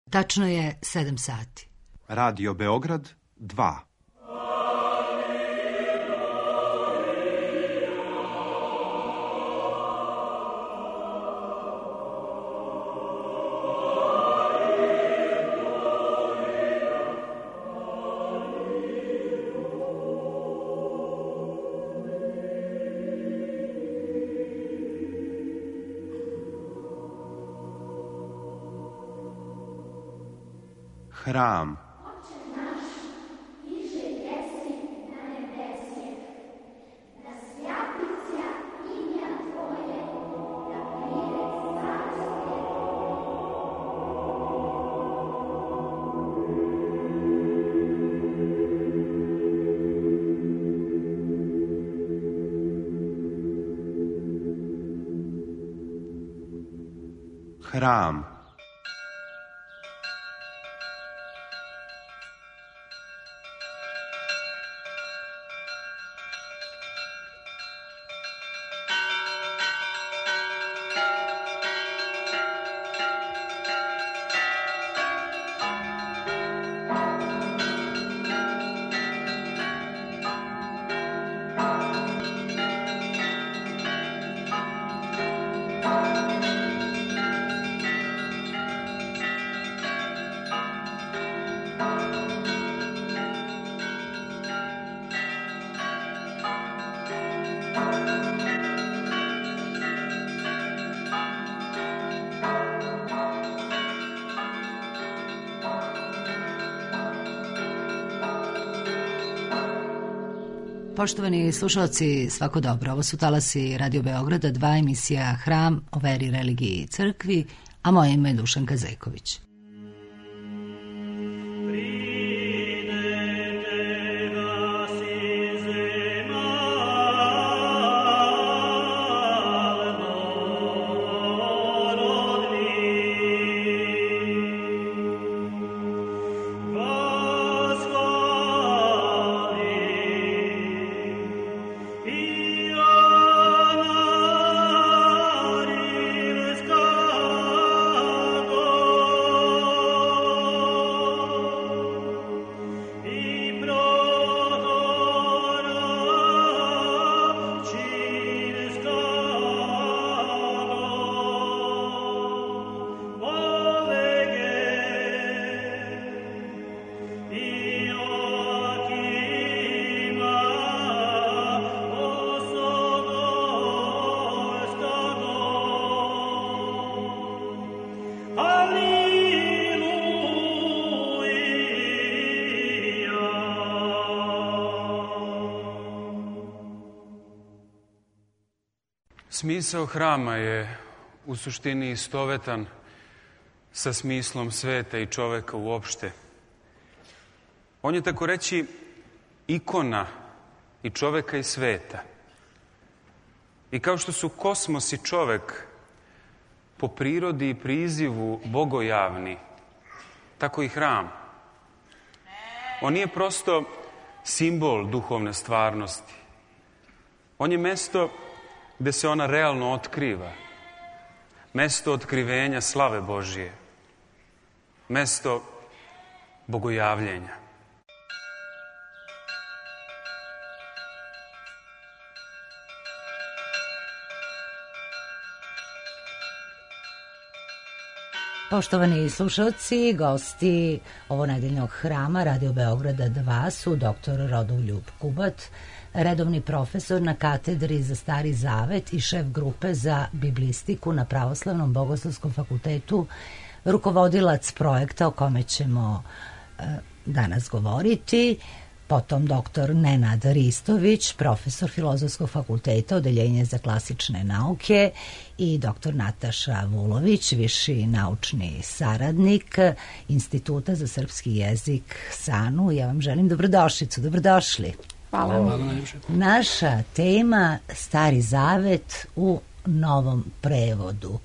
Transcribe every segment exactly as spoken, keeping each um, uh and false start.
Tačno je sedam sati. Radio Beograd dva. Hram. Hram. Poštovani slušalci, svako dobro. Ovo su talasi Radio Beograda, dva, emisija Hram o veri, religiji i crkvi, a moje ime je Dušanka Zeković. Smisao hrama je u suštini istovetan sa smislom sveta i čoveka uopšte. On je, tako reći, ikona i čoveka i sveta. I kao što su kosmos i čovek po prirodi i prizivu bogojavni, tako i hram. On nije prosto simbol duhovne stvarnosti. On je mesto gde se ona realno otkriva. Mesto otkrivenja slave Božije. Mesto bogojavljenja. Poštovani slušalci, gosti ovonedeljnog Hrama Radio Beograda dva su doktor Rodoljub Kubat, redovni profesor na katedri za Stari Zavet i šef grupe za biblistiku na Pravoslavnom bogoslovskom fakultetu, rukovodilac projekta o kome ćemo e, danas govoriti, potom doktor Nenad Ristović, profesor Filozofskog fakulteta, odeljenje za klasične nauke, i doktor Nataša Vulović, viši naučni saradnik Instituta za srpski jezik SANU. Ja vam želim dobrodošlicu, dobrodošli. Hvala. Hvala. Naša tema Stari Zavet u novom prevodu.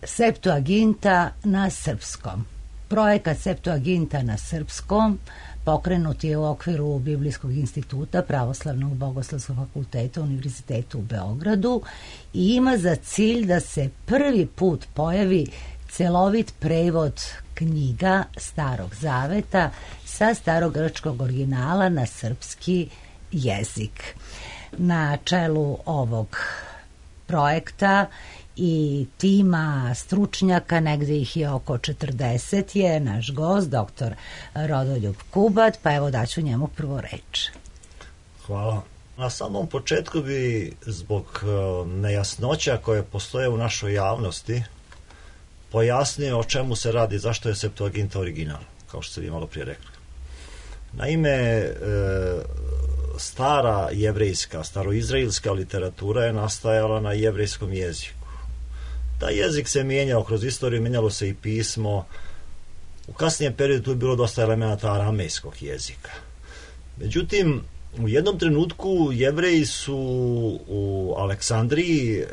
Septuaginta na srpskom. Projekat Septuaginta na srpskom pokrenut je u okviru Biblijskog instituta Pravoslavnog bogoslovskog fakulteta Univerzitetu u Beogradu i ima za cilj da se prvi put pojavi celovit prevod knjiga Starog Zaveta sa starogrčkog originala na srpski jezik. Na čelu ovog projekta i tima stručnjaka, negde ih je oko četrdeset, je naš gost, doktor Rodoljub Kubat, pa evo daću njemu prvo reč. Hvala. Na samom početku bi zbog nejasnoća koje postoje u našoj javnosti pojasnio o čemu se radi, zašto je Septuaginta original, kao što ste vi malo prije rekli. Naime, stara jevrejska, staroizraelska literatura je nastajala na jevrejskom jeziku. Taj jezik se mijenjao kroz istoriju, mijenjalo se i pismo. U kasnijem periodu tu je bilo dosta elemenata aramejskog jezika. Međutim, u jednom trenutku Jevreji su u Aleksandriji e,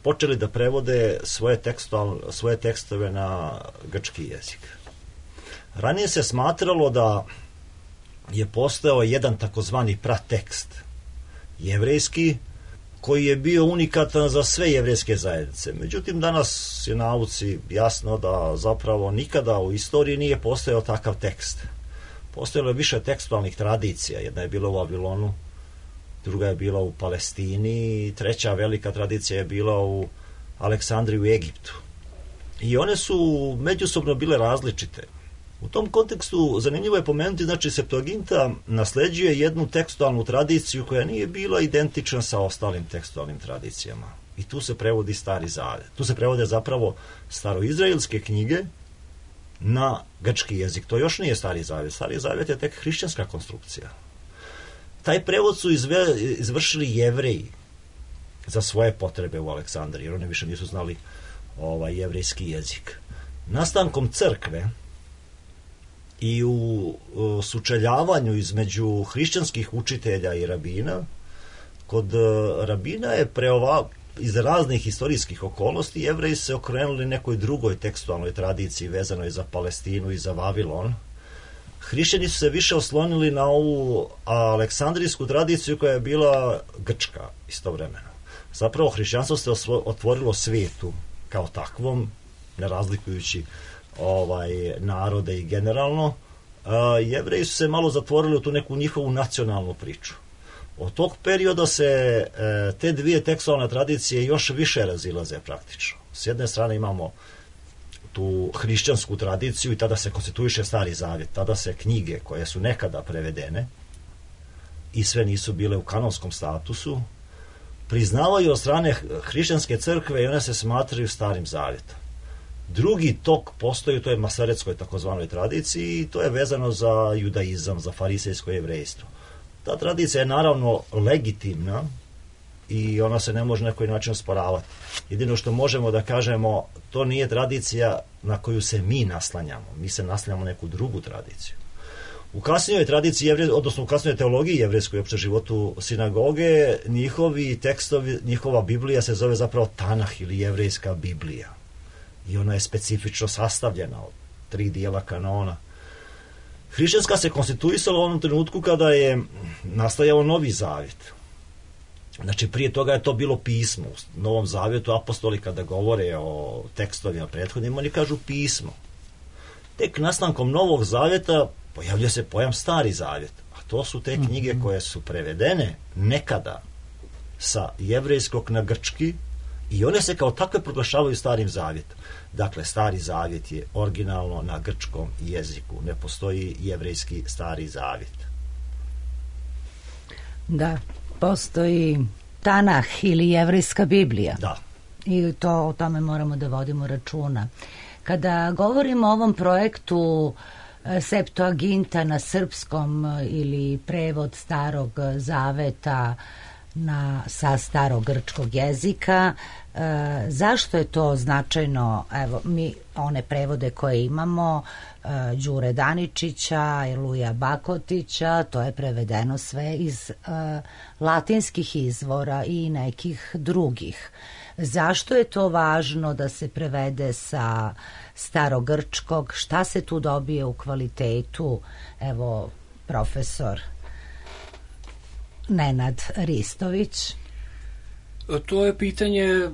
počeli da prevode svoje, tekstual, svoje tekstove na grčki jezik. Ranije se smatralo da je postojao jedan takozvani pratekst jevrejski koji je bio unikatan za sve jevrejske zajednice. Međutim, danas je nauci jasno da zapravo nikada u istoriji nije postojao takav tekst. Postojalo je više tekstualnih tradicija. Jedna je bila u Vavilonu, druga je bila u Palestini i treća velika tradicija je bila u Aleksandriji u Egiptu. I one su međusobno bile različite. U tom kontekstu zanimljivo je pomenuti, znači Septuaginta nasleđuje jednu tekstualnu tradiciju koja nije bila identična sa ostalim tekstualnim tradicijama. I tu se prevodi Stari Zavet. Tu se prevode zapravo staroizraelske knjige na grčki jezik. To još nije Stari Zavet. Stari Zavet je tek hrišćanska konstrukcija. Taj prevod su izve, izvršili Jevreji za svoje potrebe u Aleksandriji, jer oni više nisu znali ovaj jevrejski jezik. Nastankom crkve i u, u sučeljavanju između hrišćanskih učitelja i rabina, kod rabina je preova, iz raznih historijskih okolnosti Jevreji se okrenuli nekoj drugoj tekstualnoj tradiciji vezanoj za Palestinu i za Vavilon. Hrišćani su se više oslonili na ovu aleksandrijsku tradiciju koja je bila grčka istovremeno. Zapravo hrišćanstvo se otvorilo svijetu kao takvom, ne razlikujući ovaj narode i generalno. Jevreji su se malo zatvorili u tu neku njihovu nacionalnu priču. Od tog perioda se e, te dvije tekstualne tradicije još više razilaze praktično. S jedne strane imamo tu hrišćansku tradiciju i tada se konstituiše Stari Zavjet, tada se knjige koje su nekada prevedene i sve nisu bile u kanonskom statusu, priznavaju od strane hrišćanske crkve i one se smatraju Starim Zavjetom. Drugi tok postoji u toj masaretskoj takozvanoj tradiciji i to je vezano za judaizam, za farisejsko jevrejstvo. Ta tradicija je naravno legitimna i ona se ne može na koji način osporavati. Jedino što možemo da kažemo, to nije tradicija na koju se mi naslanjamo. Mi se naslanjamo neku drugu tradiciju. U kasnijoj tradiciji, jevre, odnosno u kasnijoj teologiji jevrejskoj opšte životu sinagoge, njihovi tekstovi, njihova Biblija se zove zapravo Tanah ili jevrejska Biblija. I ona je specifično sastavljena od tri dijela kanona. Hrišćanska se konstituisala u onom trenutku kada je nastajao Novi Zavjet. Znači, prije toga je to bilo pismo. U Novom Zavjetu apostoli kada govore o tekstovima prethodnim, oni kažu pismo. Tek nastankom Novog Zavjeta pojavlja se pojam Stari Zavjet. A to su te knjige koje su prevedene nekada sa jevrejskog na grčki i one se kao takve proglašavaju Starim Zavjetom. Dakle, Stari Zavjet je originalno na grčkom jeziku. Ne postoji jevrejski Stari Zavjet. Da, postoji Tanah ili jevrejska Biblija. Da. I to, o tome moramo da vodimo računa. Kada govorimo o ovom projektu Septuaginta na srpskom ili prevod Starog Zaveta na, sa starogrčkog jezika, e, zašto je to značajno? Evo, mi one prevode koje imamo, e, Đure Daničića, Luja Bakotića, to je prevedeno sve iz e, latinskih izvora i nekih drugih. Zašto je to važno da se prevede sa starogrčkog? Šta se tu dobije u kvalitetu? Evo, profesor Nenad Ristović. To je pitanje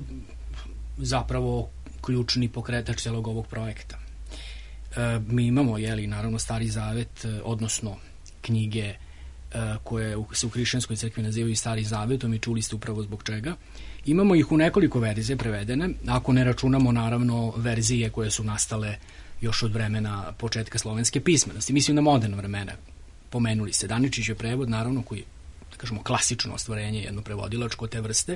zapravo ključni pokretač celog ovog projekta. E, mi imamo, jeli, naravno, Stari Zavet, odnosno knjige koje se u hrišćanskoj crkvi nazivaju Stari Zavetom i čuli ste upravo zbog čega. Imamo ih u nekoliko verzije prevedene, ako ne računamo naravno verzije koje su nastale još od vremena početka slovenske pismenosti. Mislim na moderna vremena. Pomenuli se Daničić je prevod, naravno, koji, da kažemo, klasično ostvarenje, jedno prevodilačko te vrste,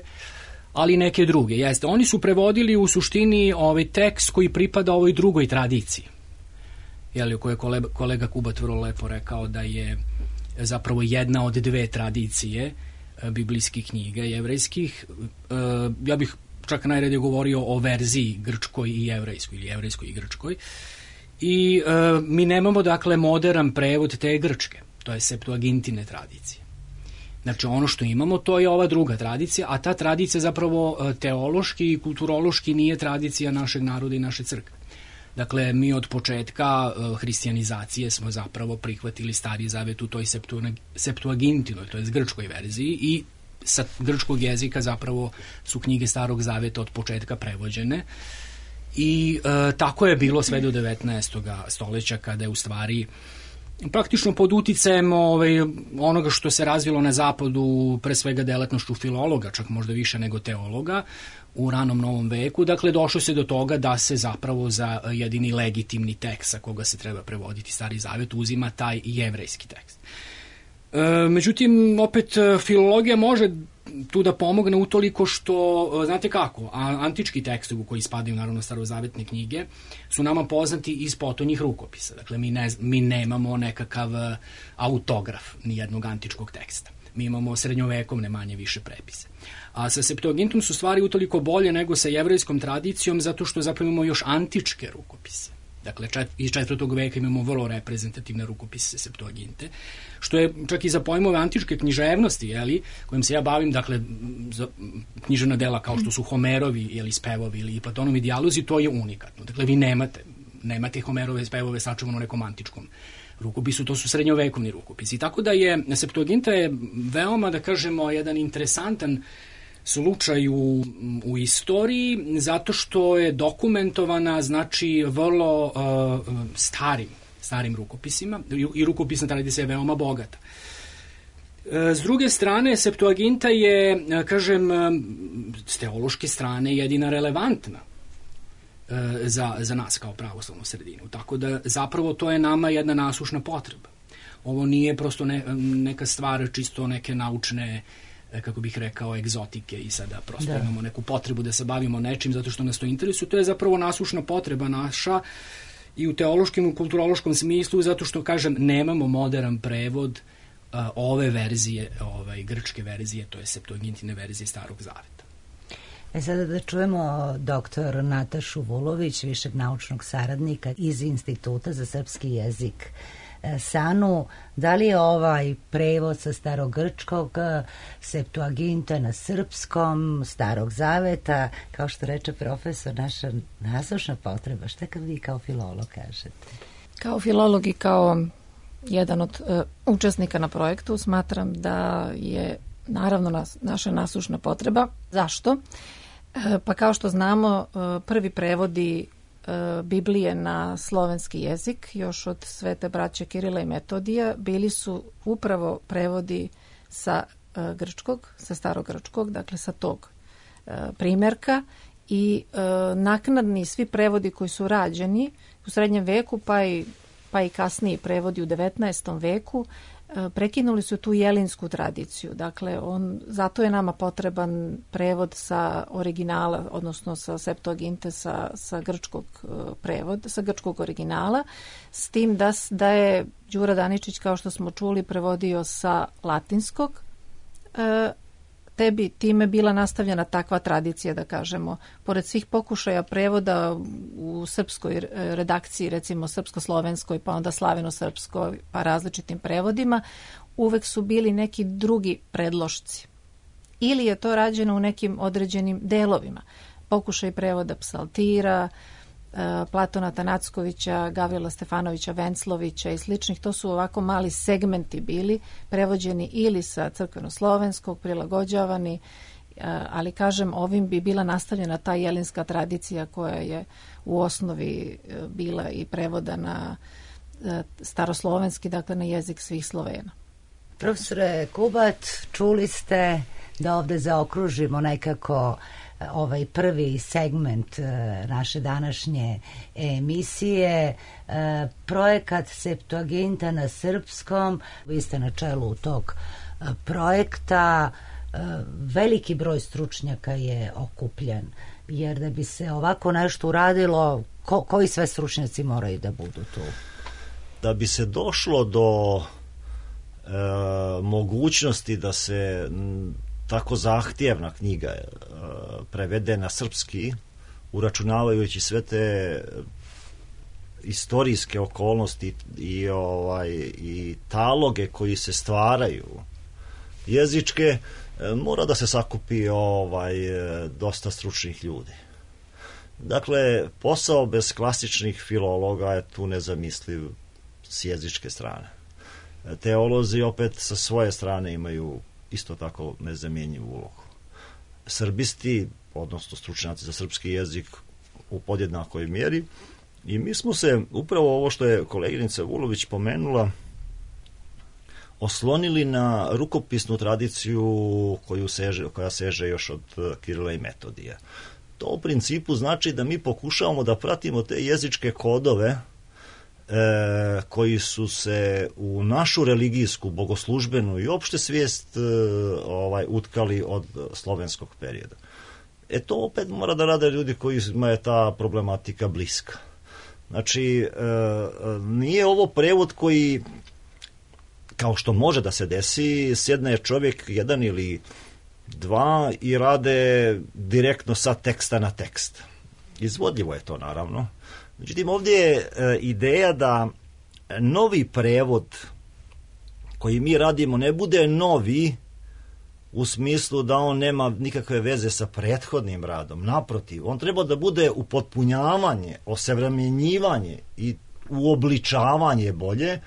ali neke druge. Jeste, oni su prevodili u suštini ovaj tekst koji pripada ovoj drugoj tradiciji. Jeli, koje je kolega, kolega Kubat vrlo lepo rekao da je zapravo jedna od dve tradicije biblijskih knjiga jevrejskih. Ja bih čak najradije govorio o verziji grčkoj i jevrejskoj, ili jevrejskoj i grčkoj. I mi nemamo, dakle, modern prevod te grčke, to je Septuagintine tradicije. Znači, ono što imamo, to je ova druga tradicija, a ta tradicija zapravo teološki i kulturološki nije tradicija našeg naroda i naše crkve. Dakle, mi od početka uh, hrišćanizacije smo zapravo prihvatili Stari Zavet u toj Septuagintinoj, to je grčkoj verziji, i sa grčkog jezika zapravo su knjige Starog Zaveta od početka prevođene. I uh, tako je bilo sve do devetnaestog stoleća, kada je u stvari praktično pod uticajem ovaj, onoga što se razvilo na zapadu, pre svega delatnošću filologa, čak možda više nego teologa, u ranom novom veku, dakle došlo se do toga da se zapravo za jedini legitimni tekst sa koga se treba prevoditi Stari Zavet uzima taj jevrejski tekst. E, međutim, opet filologija može tu da pomogne utoliko što, znate kako, a, antički tekstovi koji spadaju naravno starozavetne knjige su nama poznati iz potonjih rukopisa. Dakle, mi, ne, mi nemamo nekakav autograf nijednog antičkog teksta. Mi imamo srednjovekovne manje više prepise. A sa Septuagintom su stvari utoliko bolje nego sa jevrejskom tradicijom, zato što zapravo imamo još antičke rukopise. Dakle, čet, iz četvrtog veka imamo vrlo reprezentativne rukopise Septuaginte, što je čak i za pojmove antičke književnosti, jeli, kojim se ja bavim, dakle, za književna dela kao što su Homerovi ili spevovi ili Platonovi dijalozi, to je unikatno. Dakle, vi nemate, nemate Homerove spevove sačuvano u nekom antičkom rukopisu, to su srednjovekovni rukopisi. Tako da je Septuaginta je veoma, da kažemo, jedan interesantan slučaj u, u istoriji, zato što je dokumentovana, znači, vrlo uh, starim, starim rukopisima i, i rukopisna tradicija je veoma bogata. S druge strane, Septuaginta je, kažem, s teološke strane jedina relevantna za, za nas kao pravoslavnu sredinu. Tako da zapravo to je nama jedna nasušna potreba. Ovo nije prosto ne, neka stvar čisto neke naučne, kako bih rekao, egzotike i sada prosto da. Imamo neku potrebu da se bavimo nečim zato što nas to interesuje. To je zapravo nasušna potreba naša i u teološkom i u kulturološkom smislu, zato što, kažem, nemamo modern prevod uh, ove verzije, ovaj, grčke verzije, to je Septuagintine verzije Starog Zaveta. E sada da čujemo doktor Natašu Vulović, višeg naučnog saradnika iz Instituta za srpski jezik SANU. Da li je ovaj prevod sa starogrčkog Septuaginta na srpskom, Starog Zaveta, kao što reče profesor, naša nasušna potreba? Šta kad vi kao filolog kažete? Kao filolog i kao jedan od uh, učesnika na projektu smatram da je naravno nas, naša nasušna potreba. Zašto? E, pa kao što znamo, uh, prvi prevodi Biblije na slovenski jezik još od svete braće Kirila i Metodija bili su upravo prevodi sa uh, grčkog, sa starogrčkog, dakle sa tog uh, primjerka i uh, naknadni svi prevodi koji su rađeni u srednjem veku pa i, pa i kasniji prevodi u devetnaestom veku prekinuli su tu jelinsku tradiciju. Dakle, on, zato je nama potreban prevod sa originala, odnosno sa Septuaginte, sa, sa grčkog prevoda, sa grčkog originala, s tim da, da je Đura Daničić, kao što smo čuli, prevodio sa latinskog, e, te bi time bila nastavljena takva tradicija, da kažemo. Pored svih pokušaja prevoda u srpskoj redakciji, recimo srpsko-slovenskoj, pa onda slaveno-srpskoj, pa različitim prevodima, uvek su bili neki drugi predlošci. Ili je to rađeno u nekim određenim delovima. Pokušaj prevoda Psaltira, Platona Tanackovića, Gavrila Stefanovića Venclovića i sličnih, to su ovako mali segmenti bili prevođeni ili sa crkveno-slovenskog, prilagođavani ali kažem, ovim bi bila nastavljena ta jelinska tradicija koja je u osnovi bila i prevodana staroslovenski, dakle na jezik svih Slovena. Profesore Kubat, čuli ste da ovde zaokružimo nekako ovaj prvi segment naše današnje emisije, projekat Septuaginta na srpskom. Vi ste na čelu tog projekta, veliki broj stručnjaka je okupljen, jer da bi se ovako nešto uradilo, ko, koji sve stručnjaci moraju da budu tu? Da bi se došlo do e, mogućnosti da se m, tako zahtjevna knjiga e, prevede na srpski, uračunavajući sve te istorijske okolnosti i, ovaj, i taloge koji se stvaraju jezičke, e, mora da se sakupi ovaj, dosta stručnih ljudi. Dakle, posao bez klasičnih filologa je tu nezamisliv s jezičke strane. Teolozi opet sa svoje strane imaju isto tako nezamjenjivu ulogu. Srbisti, odnosno stručnjaci za srpski jezik, u podjednakoj mjeri, i mi smo se, upravo ovo što je koleginica Vulović pomenula, oslonili na rukopisnu tradiciju koju seže, koja seže još od Kirila i Metodija. To u principu znači da mi pokušavamo da pratimo te jezičke kodove E, koji su se u našu religijsku, bogoslužbenu i opšte svijest e, ovaj, utkali od slovenskog perioda. E to opet mora da rade ljudi kojima je ta problematika bliska. Znači, e, nije ovo prevod koji, kao što može da se desi, sjedne čovjek jedan ili dva i rade direktno sa teksta na tekst. Izvodljivo je to, naravno. Međutim, ovdje je e, ideja da novi prevod koji mi radimo ne bude novi u smislu da on nema nikakve veze sa prethodnim radom. Naprotiv, on treba da bude upotpunjavanje, osavremenjivanje i uobličavanje bolje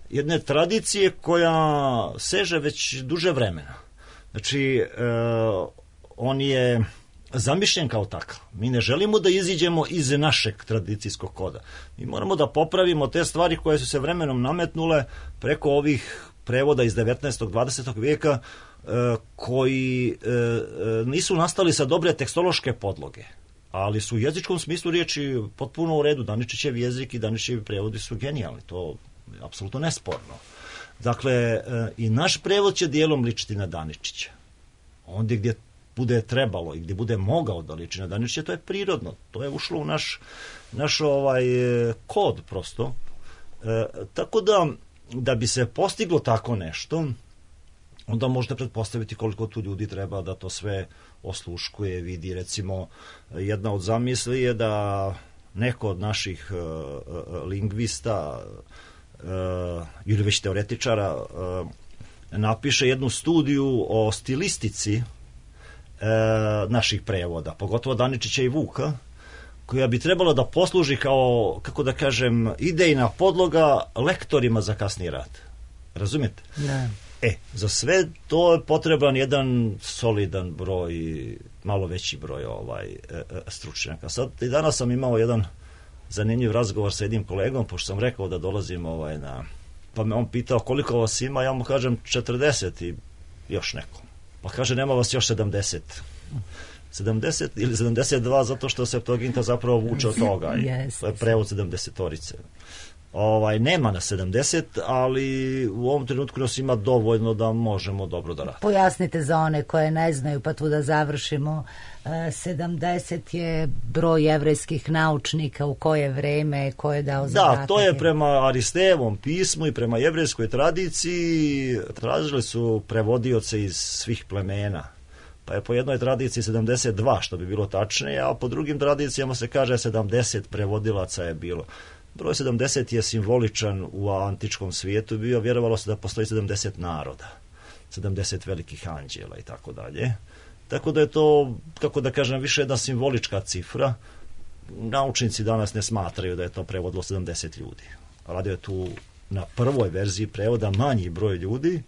jedne tradicije koja seže već duže vremena. Znači, e, on je zamišljen kao takav. Mi ne želimo da iziđemo iz našeg tradicijskog koda. Mi moramo da popravimo te stvari koje su se vremenom nametnule preko ovih prevoda iz devetnaestog dvadesetog vijeka e, koji e, nisu nastali sa dobre tekstološke podloge, ali su u jezičkom smislu riječi potpuno u redu. Daničićev jezik i Daničićevi prevodi su genijalni. To je apsolutno nesporno. Dakle, e, i naš prevod će dijelom ličiti na Daničića. Ondje gdje bude trebalo i gdje bude mogao da liči na Daničića, to je prirodno. To je ušlo u naš, naš ovaj kod prosto. E, tako da, da bi se postiglo tako nešto, onda možete pretpostaviti koliko tu ljudi treba da to sve osluškuje, vidi. Recimo, jedna od zamisli je da neko od naših uh, lingvista uh, ili već teoretičara uh, napiše jednu studiju o stilistici uh, naših prevoda, pogotovo Daničića i Vuka, koja bi trebala da posluži kao, kako da kažem, idejna podloga lektorima za kasni rad. Razumijete? Da. E, za sve to je potreban jedan solidan broj, malo veći broj ovaj, stručnjaka. Sad i danas sam imao jedan zanimljiv razgovor sa jednim kolegom, pošto sam rekao da dolazim ovaj, na... Pa me on pitao koliko vas ima, ja mu kažem četrdeset i još neko. Pa kaže nema vas još sedamdeset. sedamdeset ili sedamdeset dva, zato što Septuaginta zapravo vuče od toga. Yes. To je prevod sedamdesetorice. Ovaj, nema na sedamdeset, ali u ovom trenutku nas ima dovoljno da možemo dobro da radimo. Pojasnite za one koje ne znaju, pa tu da završimo. sedamdeset je broj jevrejskih naučnika, u koje vreme, ko je dao zadatak? Da, to je prema Aristejevom pismu i prema jevrejskoj tradiciji. Tražili su prevodioce iz svih plemena. Pa je po jednoj tradiciji sedamdeset dva, što bi bilo tačnije, a po drugim tradicijama se kaže sedamdeset prevodilaca je bilo. Broj sedamdeset je simboličan u antičkom svijetu bio, vjerovalo se da postoji sedamdeset naroda, sedamdeset velikih anđela i tako dalje. Tako da je to, kako da kažem, više jedna simbolička cifra. Naučnici danas ne smatraju da je to prevodilo sedamdeset ljudi. Radio je tu na prvoj verziji prevoda manji broj ljudi,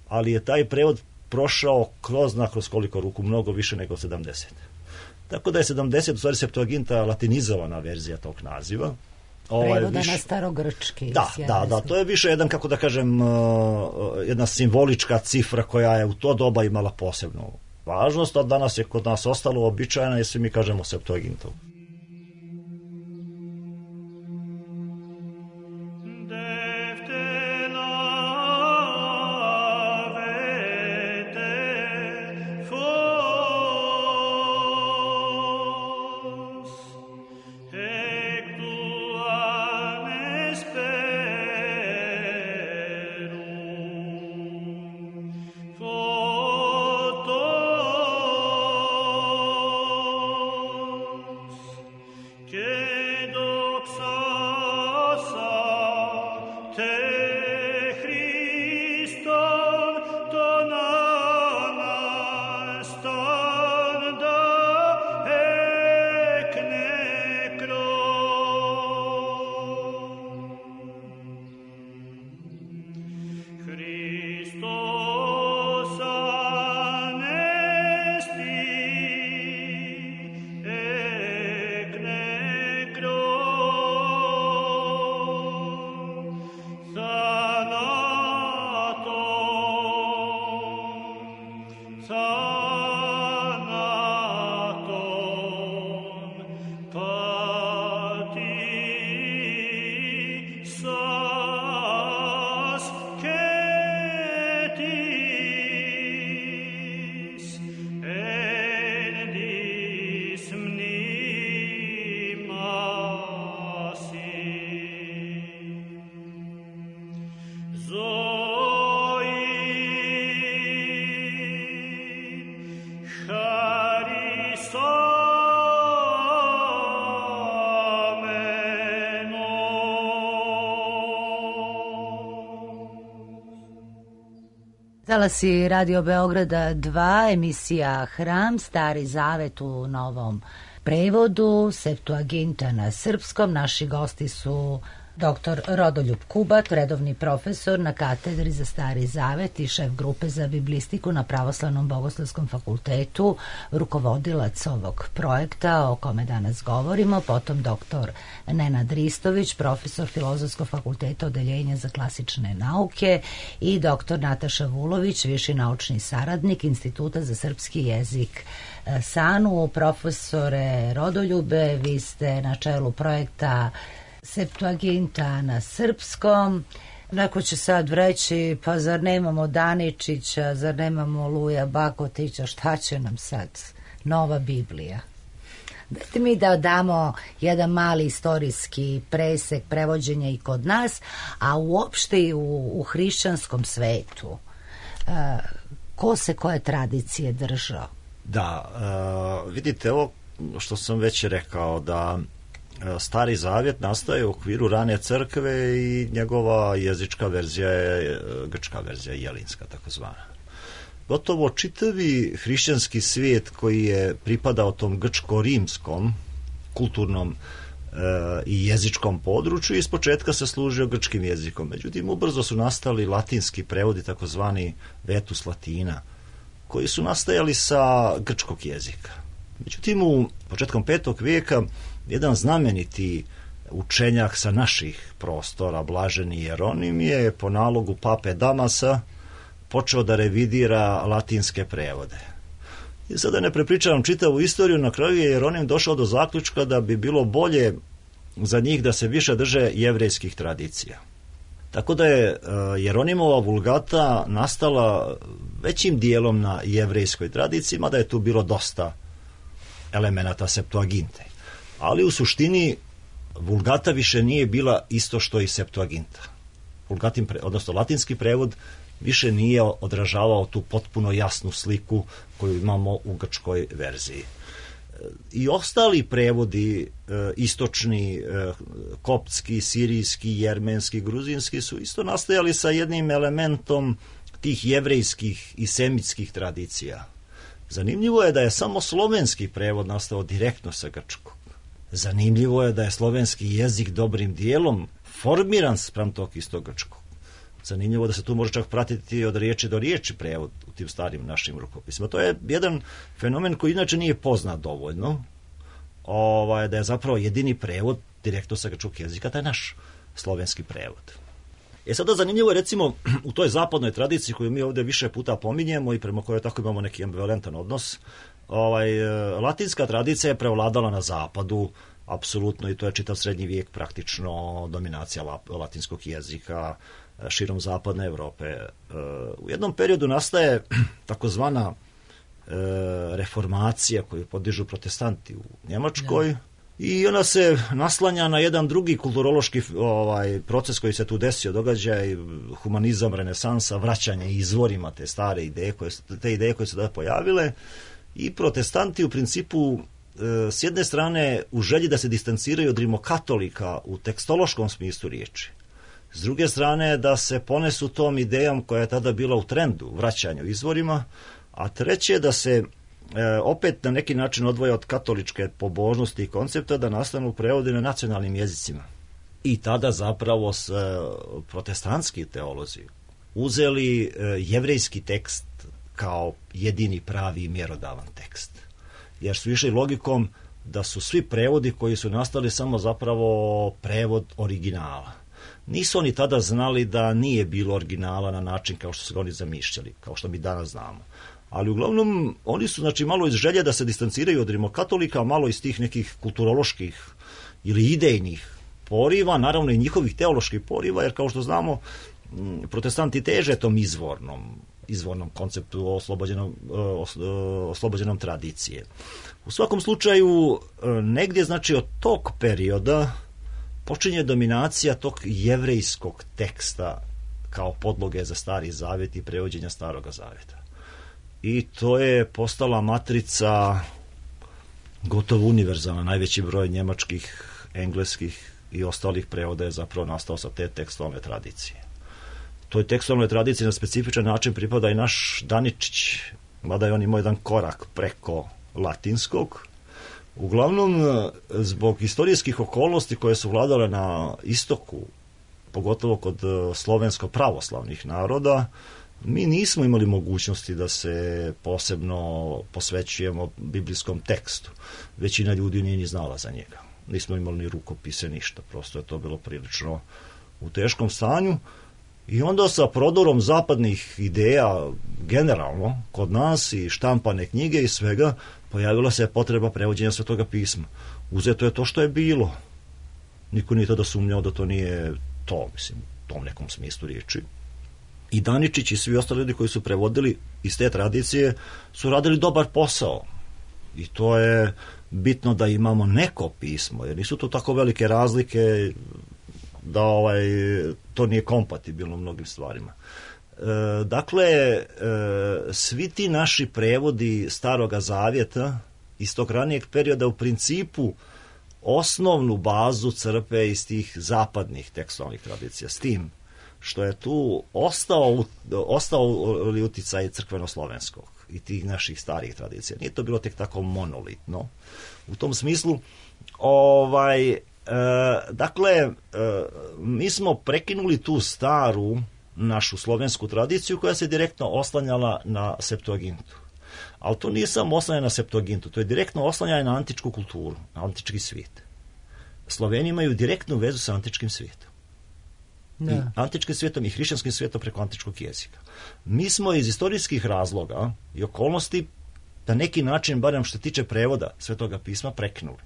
ali je taj prevod prošao kroz, na kroz koliko ruku, mnogo više nego sedamdeset. Tako da je sedamdeset u stvari Septuaginta latinizovana verzija tog naziva. Prevoda na starogrčki. Da, da, da, to je više jedan, kako da kažem, jedna simbolička cifra koja je u to doba imala posebnu važnost, a danas je kod nas ostalo običajno jer svi mi kažemo Septuagintu. Talasi Radio Beograda dva, emisija Hram, Stari zavet u novom prevodu, Septuaginta na srpskom. Naši gosti su doktor Rodoljub Kubat, redovni profesor na katedri za Stari zavet i šef grupe za biblistiku na Pravoslavnom bogoslovskom fakultetu, rukovodilac ovog projekta o kome danas govorimo, potom doktor Nenad Ristović, profesor Filozofskog fakulteta Odeljenja za klasične nauke i doktor Nataša Vulović, viši naučni saradnik Instituta za srpski jezik SANU. Profesore Rodoljube, vi ste na čelu projekta Septuaginta na srpskom. Neko će sad reći, pa zar nemamo Daničića, zar nemamo Luja Bakotića, šta će nam sad nova Biblija? Dajte mi da damo jedan mali istorijski presek prevođenja i kod nas, a uopšte i u, u hrišćanskom svetu. E, ko se koje tradicije držao? Da, e, vidite, ovo što sam već rekao, da Stari zavjet nastaje u okviru rane crkve i njegova jezička verzija je grčka verzija, jelinska takozvana. Gotovo čitavi hrišćanski svijet koji je pripadao tom grčko-rimskom kulturnom e, i jezičkom području iz početka se služio grčkim jezikom. Međutim, ubrzo su nastali latinski prevodi, takozvani vetus latina, koji su nastajali sa grčkog jezika. Međutim, u početkom petog vijeka jedan znameniti učenjak sa naših prostora, blaženi Jeronim, je po nalogu pape Damasa počeo da revidira latinske prevode. I sada ne prepričavam čitavu istoriju, na kraju je Jeronim došao do zaključka da bi bilo bolje za njih da se više drže jevrejskih tradicija. Tako da je Jeronimova vulgata nastala većim dijelom na jevrejskoj tradiciji, mada je tu bilo dosta elemenata Septuaginte. Ali u suštini vulgata više nije bila isto što i Septuaginta. Vulgatin, odnosno latinski prevod, više nije odražavao tu potpuno jasnu sliku koju imamo u grčkoj verziji. I ostali prevodi, istočni, koptski, sirijski, jermenski, gruzinski, su isto nastajali sa jednim elementom tih jevrejskih i semitskih tradicija. Zanimljivo je da je samo slovenski prevod nastao direktno sa grčkog. Zanimljivo je da je slovenski jezik dobrim dijelom formiran spram tog istog grčkog. Zanimljivo da se tu može čak pratiti od riječi do riječi prevod u tim starim našim rukopisima. To je jedan fenomen koji inače nije poznat dovoljno, ovaj, da je zapravo jedini prevod direktno sa grčkog jezika, taj naš slovenski prevod. E sada zanimljivo je recimo u toj zapadnoj tradiciji koju mi ovdje više puta pominjemo i prema kojoj tako imamo neki ambivalentan odnos, ovaj, latinska tradicija je prevladala na zapadu, apsolutno, i to je čitav srednji vijek praktično dominacija latinskog jezika širom zapadne Evrope. U jednom periodu nastaje takozvana reformacija koju podižu protestanti u Njemačkoj, ja. I ona se naslanja na jedan drugi kulturološki ovaj, proces koji se tu desio, događaj, humanizam, renesansa, vraćanje izvorima te stare ideje, koje, te ideje koje su da pojavile, i protestanti u principu s jedne strane u želji da se distanciraju od rimokatolika u tekstološkom smislu riječi, s druge strane da se ponesu tom idejom koja je tada bila u trendu, vraćanju izvorima, a treće da se e, opet na neki način odvoje od katoličke pobožnosti i koncepta, da nastanu prevodi na nacionalnim jezicima. I tada zapravo s, protestantski teolozi uzeli e, jevrejski tekst kao jedini pravi i mjerodavan tekst. Jer su išli logikom da su svi prevodi koji su nastali samo zapravo prevod originala. Nisu oni tada znali da nije bilo originala na način kao što su oni zamišljali, kao što mi danas znamo. Ali uglavnom oni su znači malo iz želje da se distanciraju od rimokatolika, malo iz tih nekih kulturoloških ili idejnih poriva, naravno i njihovih teoloških poriva, jer kao što znamo protestanti teže tom izvornom izvornom konceptu oslobođenom, oslobođenom tradicije. U svakom slučaju, negdje znači od tog perioda počinje dominacija tog jevrejskog teksta kao podloge za Stari Zavjet i prevođenja Staroga Zavjeta. I to je postala matrica gotovo univerzalna. Najveći broj njemačkih, engleskih i ostalih prevoda je zapravo nastao sa te tekstualne tradicije. Toj tekstualnoj tradiciji na specifičan način pripada i naš Daničić, mada je on imao jedan korak preko latinskog. Uglavnom, zbog historijskih okolnosti koje su vladale na istoku, pogotovo kod slovensko-pravoslavnih naroda, mi nismo imali mogućnosti da se posebno posvećujemo biblijskom tekstu. Većina ljudi nije ni znala za njega. Nismo imali ni rukopise, ništa. Prosto je to bilo prilično u teškom stanju. I onda sa prodorom zapadnih ideja generalno kod nas i štampane knjige i svega pojavila se potreba prevođenja Svetoga pisma. Uzeto je to što je bilo. Niko nije tada sumnjao da to nije to, mislim, u tom nekom smislu riječi. I Daničić i svi ostali ljudi koji su prevodili iz te tradicije su radili dobar posao. I to je bitno da imamo neko pismo, jer nisu to tako velike razlike da ovaj, to nije kompatibilno mnogim stvarima. E, dakle, e, svi ti naši prevodi Staroga Zavjeta iz tog ranijeg perioda u principu osnovnu bazu crpe iz tih zapadnih tekstualnih tradicija, s tim što je tu ostao, ostao uticaj crkveno-slovenskog i tih naših starih tradicija. Nije to bilo tek tako monolitno. U tom smislu, ovaj, e, dakle, e, mi smo prekinuli tu staru našu slovensku tradiciju koja se direktno oslanjala na Septuagintu. Ali to nije samo oslanjanje na Septuagintu, to je direktno oslanjanje na antičku kulturu, na antički svijet. Sloveni imaju direktnu vezu sa antičkim svijetom. Da. I antičkim svijetom i hrišćanskim svijetom preko antičkog jezika. Mi smo iz istorijskih razloga i okolnosti na neki način, barem što se tiče prevoda Svetoga pisma, prekinuli.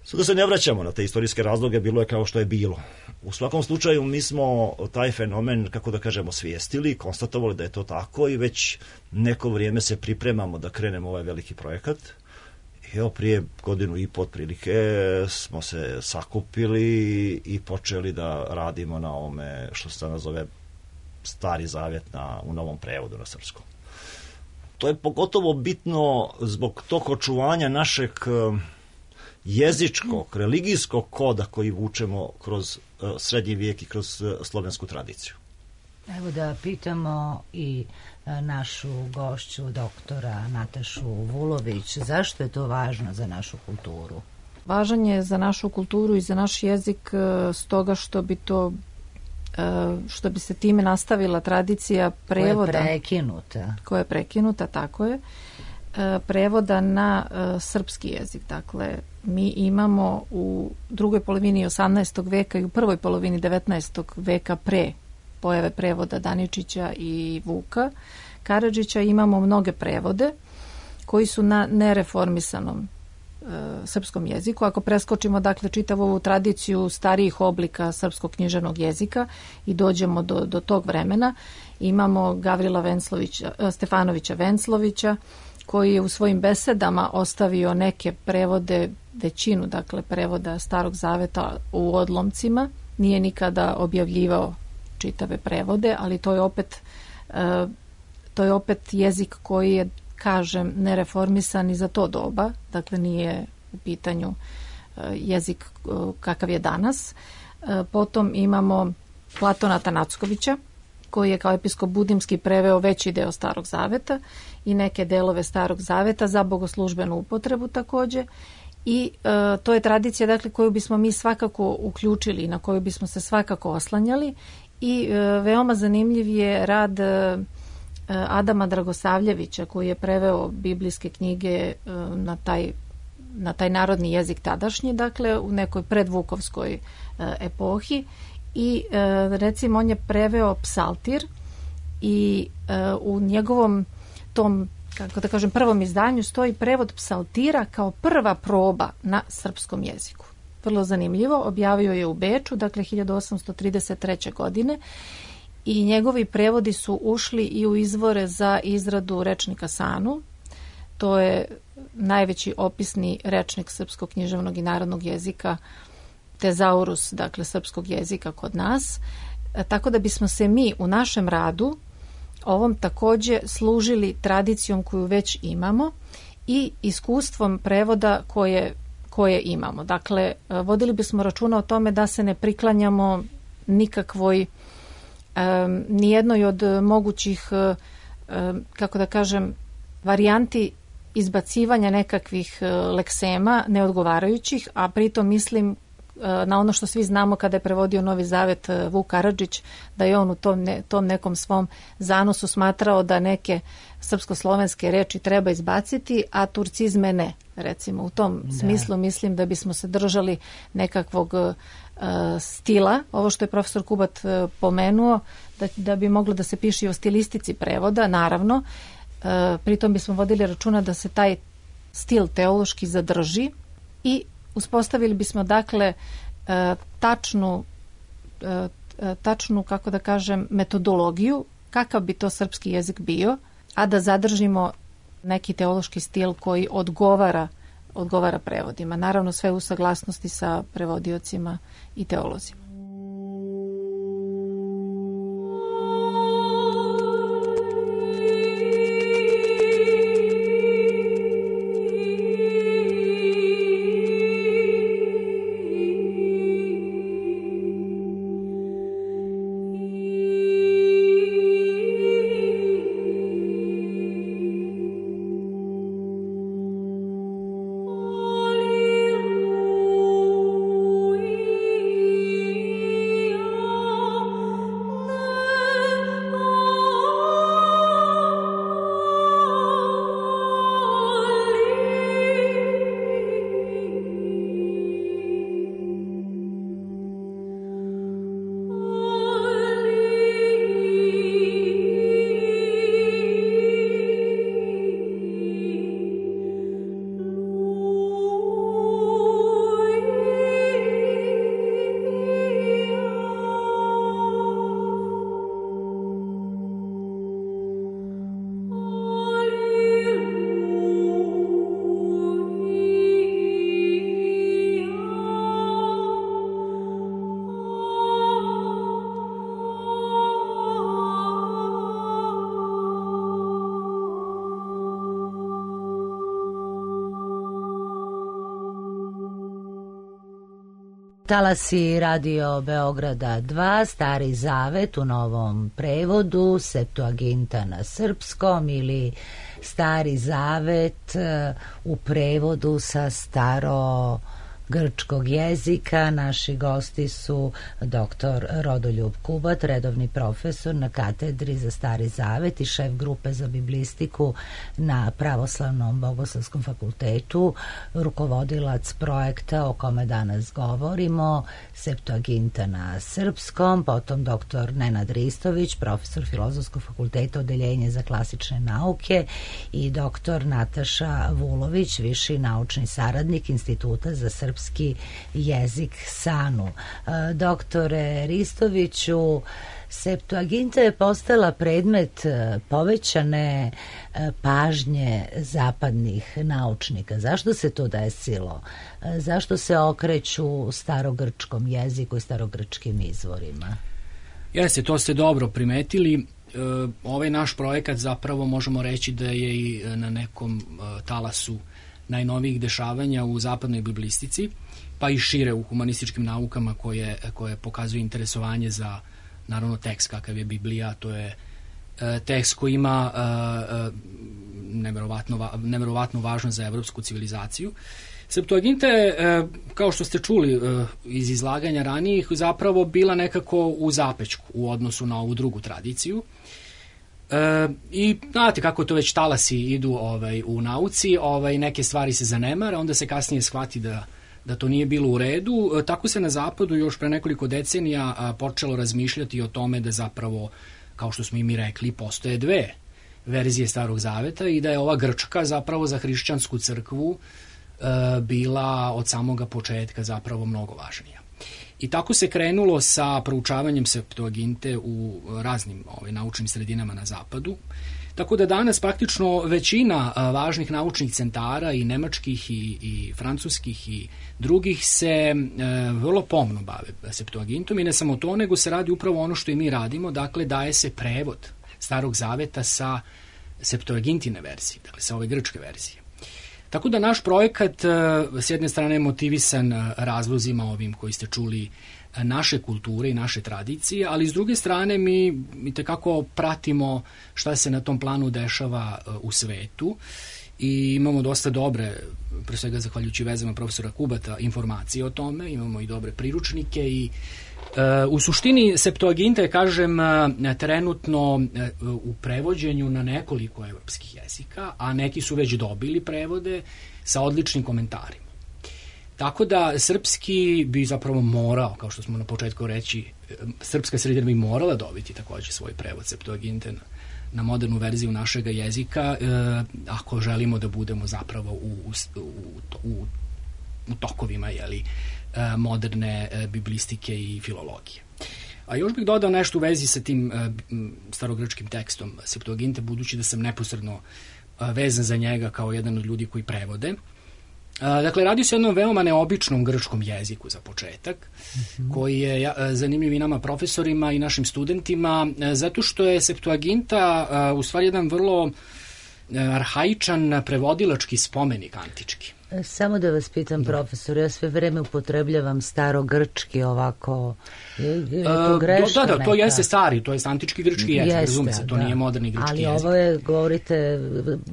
Sada se ne vraćamo na te istorijske razloge, bilo je kao što je bilo. U svakom slučaju mi smo taj fenomen, kako da kažemo, svijestili, konstatovali da je to tako i već neko vrijeme se pripremamo da krenemo ovaj veliki projekat. Evo, prije godinu i po otprilike smo se sakupili i počeli da radimo na ovome što se nazove Stari Zavjet na, u novom prevodu na srpskom. To je pogotovo bitno zbog tog očuvanja našeg jezičkog, religijskog koda koji vučemo kroz uh, srednji vijek i kroz uh, slovensku tradiciju. Evo da pitamo i uh, našu gošću, doktora Natašu Vulović, zašto je to važno za našu kulturu? Važan je za našu kulturu i za naš jezik uh, stoga što bi to što bi se time nastavila tradicija prevoda. Koja je prekinuta. Koja je prekinuta, tako je. Prevoda na srpski jezik. Dakle, mi imamo u drugoj polovini osamnaestog veka i u prvoj polovini devetnaestog veka pre pojave prevoda Daničića i Vuka Karadžića imamo mnoge prevode koji su na nereformisanom e, srpskom jeziku. Ako preskočimo dakle čitavu ovu tradiciju starijih oblika srpskog književnog jezika i dođemo do, do tog vremena, imamo Gavrila Venclovića, Stefanovića Venclovića, koji je u svojim besedama ostavio neke prevode, većinu dakle prevoda Starog zaveta u odlomcima. Nije nikada objavljivao čitave prevode, ali to je opet e, to je opet jezik koji je, kažem, nereformisan i za to doba, dakle nije u pitanju e, jezik e, kakav je danas. E, potom imamo Platona Tanackovića, koji je kao episkop budimski preveo veći deo Starog zaveta i neke delove Starog zaveta za bogoslužbenu upotrebu takođe. I e, to je tradicija dakle koju bismo mi svakako uključili i na koju bismo se svakako oslanjali. I e, veoma zanimljiv je rad e, Adama Dragosavljevića, koji je preveo biblijske knjige e, na taj na taj narodni jezik tadašnji, dakle u nekoj predvukovskoj e, epohi. I e, recimo on je preveo psaltir i e, u njegovom tom, kako da kažem, prvom izdanju stoji prevod psaltira kao prva proba na srpskom jeziku. Vrlo zanimljivo, objavio je u Beču, dakle hiljadu osamsto trideset treće. godine i njegovi prevodi su ušli i u izvore za izradu rečnika Sanu. To je najveći opisni rečnik srpskog književnog i narodnog jezika, tezaurus, dakle srpskog jezika kod nas. E, tako da bismo se mi u našem radu ovom takođe služili tradicijom koju već imamo i iskustvom prevoda koje, koje imamo. Dakle, vodili bismo računa o tome da se ne priklanjamo nikakvoj, um, nijednoj od mogućih, um, kako da kažem, varijanti izbacivanja nekakvih uh, leksema neodgovarajućih, a pritom mislim na ono što svi znamo kada je prevodio Novi Zavet Vuk Karadžić, da je on u tom, ne, tom nekom svom zanosu smatrao da neke srpsko-slovenske reči treba izbaciti, a turcizme ne. Recimo, u tom da. smislu mislim da bismo se držali nekakvog uh, stila, ovo što je profesor Kubat uh, pomenuo, da, da bi moglo da se piše i o stilistici prevoda, naravno. Uh, pritom bismo vodili računa da se taj stil teološki zadrži i uspostavili bismo dakle tačnu, tačnu, kako da kažem, metodologiju, kakav bi to srpski jezik bio, a da zadržimo neki teološki stil koji odgovara, odgovara prevodima. Naravno sve u saglasnosti sa prevodiocima i teolozima. Talasi Radio Beograda dva, Stari Zavet u novom prevodu, Septuaginta na srpskom ili Stari Zavet u prevodu sa staro grčkog jezika. Naši gosti su doktor Rodoljub Kubat, redovni profesor na katedri za Stari Zavet i šef grupe za biblistiku na Pravoslavnom Bogoslovskom fakultetu, rukovodilac projekta o kome danas govorimo, Septuaginta na srpskom, potom doktor Nenad Ristović, profesor Filozofskog fakulteta, odeljenje za klasične nauke, i doktor Nataša Vulović, viši naučni saradnik Instituta za srpski jezik SANU. Doktore Ristoviću, Septuaginta je postala predmet povećane pažnje zapadnih naučnika. Zašto se to desilo? Zašto se okreću starogrčkom jeziku i starogrčkim izvorima? Jeste, to ste dobro primetili. Ovaj naš projekat zapravo možemo reći da je i na nekom talasu najnovijih dešavanja u zapadnoj biblistici, pa i šire u humanističkim naukama koje, koje pokazuju interesovanje za, naravno, tekst kakav je Biblija. To je tekst koji ima neverovatno, neverovatno važno za evropsku civilizaciju. Septuaginta je, kao što ste čuli iz izlaganja ranijih, zapravo bila nekako u zapećku u odnosu na ovu drugu tradiciju. E, I znate kako to već talasi idu ovaj, u nauci, ovaj, neke stvari se zanemare, onda se kasnije shvati da, da to nije bilo u redu. E, tako se na zapadu još pre nekoliko decenija a, počelo razmišljati o tome da zapravo, kao što smo i mi rekli, postoje dve verzije Starog Zaveta i da je ova grčka zapravo za hrišćansku crkvu bila od samoga početka zapravo mnogo važnija. I tako se krenulo sa proučavanjem Septuaginte u raznim ovaj, naučnim sredinama na zapadu. Tako da danas praktično većina važnih naučnih centara i nemačkih i, i francuskih i drugih se e, vrlo pomno bave Septuagintom i ne samo to, nego se radi upravo ono što i mi radimo, dakle daje se prevod Starog Zaveta sa Septuagintine verzije, dakle sa ove grčke verzije. Tako da naš projekat s jedne strane je motivisan razlozima ovim koji ste čuli naše kulture i naše tradicije, ali s druge strane mi, mi tekako pratimo šta se na tom planu dešava u svetu i imamo dosta dobre, pre svega zahvaljujući vezama profesora Kubata, informacije o tome, imamo i dobre priručnike i u suštini Septuaginta je, kažem, trenutno u prevođenju na nekoliko evropskih jezika, a neki su već dobili prevode sa odličnim komentarima. Tako da srpski bi zapravo morao, kao što smo na početku reći, srpska sredina bi morala dobiti također svoj prevod Septuaginte na, na modernu verziju našeg jezika, e, ako želimo da budemo zapravo u, u, u, u tokovima, jeli, moderne biblistike i filologije. A još bih dodao nešto u vezi sa tim starogrčkim tekstom Septuaginte, budući da sam neposredno vezan za njega kao jedan od ljudi koji prevode. Dakle, radi se o jednom veoma neobičnom grčkom jeziku za početak, mm-hmm. koji je zanimljiv i nama profesorima i našim studentima, zato što je Septuaginta u stvari jedan vrlo arhaičan prevodilački spomenik antički. Samo da vas pitam, profesor, ja sve vreme upotrebljavam starogrčki ovako, je, je to greška Da, da, neka? To jeste stari, to je antički grčki jezik, razume se, to da. Nije moderni grčki Ali jezik. Ali ovo je, govorite,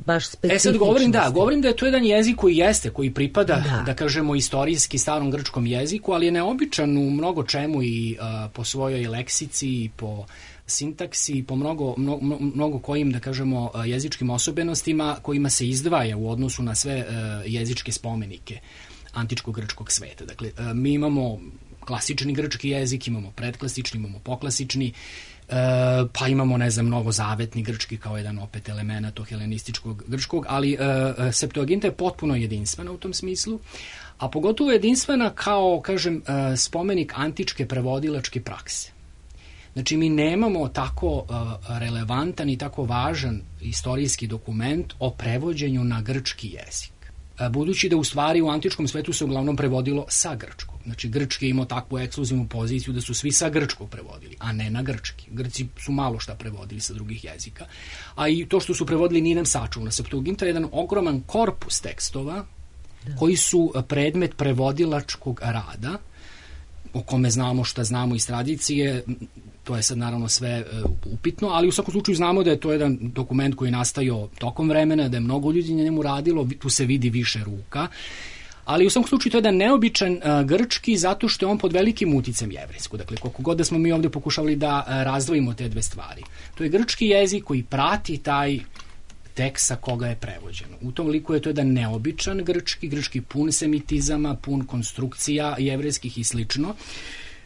baš specifično. E sad govorim, da, govorim da je to jedan jezik koji jeste, koji pripada, da, da kažemo, istorijski starom grčkom jeziku, ali je neobičan u mnogo čemu i uh, po svojoj leksici i po sintaksi, po mnogo, mnogo, mnogo kojim, da kažemo, jezičkim osobenostima kojima se izdvaja u odnosu na sve uh, jezičke spomenike antičkog grčkog sveta. Dakle, uh, mi imamo klasični grčki jezik, imamo predklasični, imamo poklasični, uh, pa imamo, ne znam, novozavetni grčki kao jedan opet element tog helenističkog grčkog, ali uh, Septuaginta je potpuno jedinstvena u tom smislu, a pogotovo jedinstvena kao, kažem, uh, spomenik antičke prevodilačke prakse. Znači, mi nemamo tako uh, relevantan i tako važan istorijski dokument o prevođenju na grčki jezik. Uh, budući da u stvari u antičkom svetu se uglavnom prevodilo sa grčkog. Znači, grčki je imao takvu ekskluzivnu poziciju da su svi sa grčkog prevodili, a ne na grčki. Grci su malo šta prevodili sa drugih jezika. A i to što su prevodili nije nam sačuvano. Septuaginta je jedan ogroman korpus tekstova da. Koji su predmet prevodilačkog rada, o kome znamo šta znamo iz tradicije. To je sad naravno sve uh, upitno, ali u svakom slučaju znamo da je to jedan dokument koji je nastajao tokom vremena, da je mnogo ljudi na njemu radilo, tu se vidi više ruka, ali u svakom slučaju to je jedan neobičan uh, grčki zato što je on pod velikim uticajem jevrejskog. Dakle, koliko god da smo mi ovdje pokušavali da uh, razdvojimo te dve stvari. To je grčki jezik koji prati taj tekst sa koga je prevođeno. U tom liku je to jedan neobičan grčki, grčki pun semitizama, pun konstrukcija jevrejskih i slično.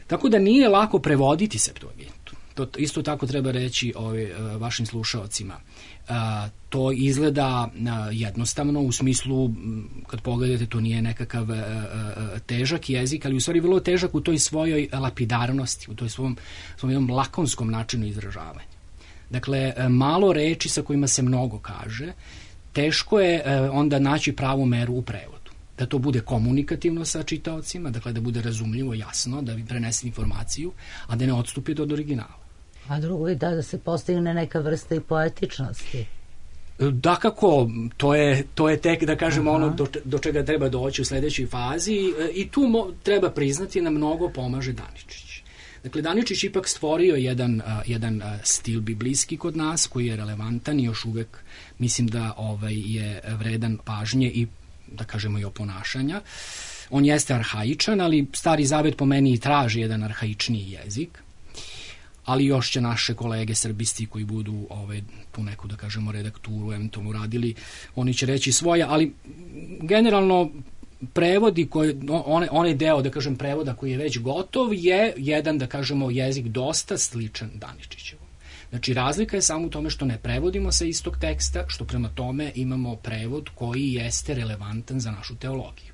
Tako da nije lako prevoditi Septuagintu. To isto tako treba reći ovi, uh, vašim slušaocima. Uh, to izgleda uh, jednostavno u smislu, kad pogledate, to nije nekakav uh, uh, težak jezik, ali u stvari vrlo težak u toj svojoj lapidarnosti, u toj svom, svom jednom lakonskom načinu izražavanja. Dakle, uh, malo reči sa kojima se mnogo kaže, teško je uh, onda naći pravu meru u prevodu. Da to bude komunikativno sa čitaocima, dakle da bude razumljivo, jasno, da vi prenese informaciju, a da ne odstupi od originala. A drugo je da, da se postigne neka vrsta i poetičnosti. Dakako, to je, to je tek, da kažemo, Aha. ono do, do čega treba doći u sledećoj fazi i tu mo, treba priznati na mnogo pomaže Daničić. Dakle, Daničić ipak stvorio jedan, uh, jedan uh, stil biblijski kod nas koji je relevantan i još uvek mislim da ovaj, je vredan pažnje i da kažemo i oponašanja. On jeste arhaičan, ali Stari Zavet po meni traži jedan arhaičniji jezik. Ali još će naše kolege srbisti koji budu ovaj, tu neku, da kažemo, redakturu eventualno radili, oni će reći svoje, ali generalno prevodi, koji, one, onaj deo, da kažem, prevoda koji je već gotov je jedan, da kažemo, jezik dosta sličan Daničićevom. Znači, razlika je samo u tome što ne prevodimo sa istog teksta, što prema tome imamo prevod koji jeste relevantan za našu teologiju.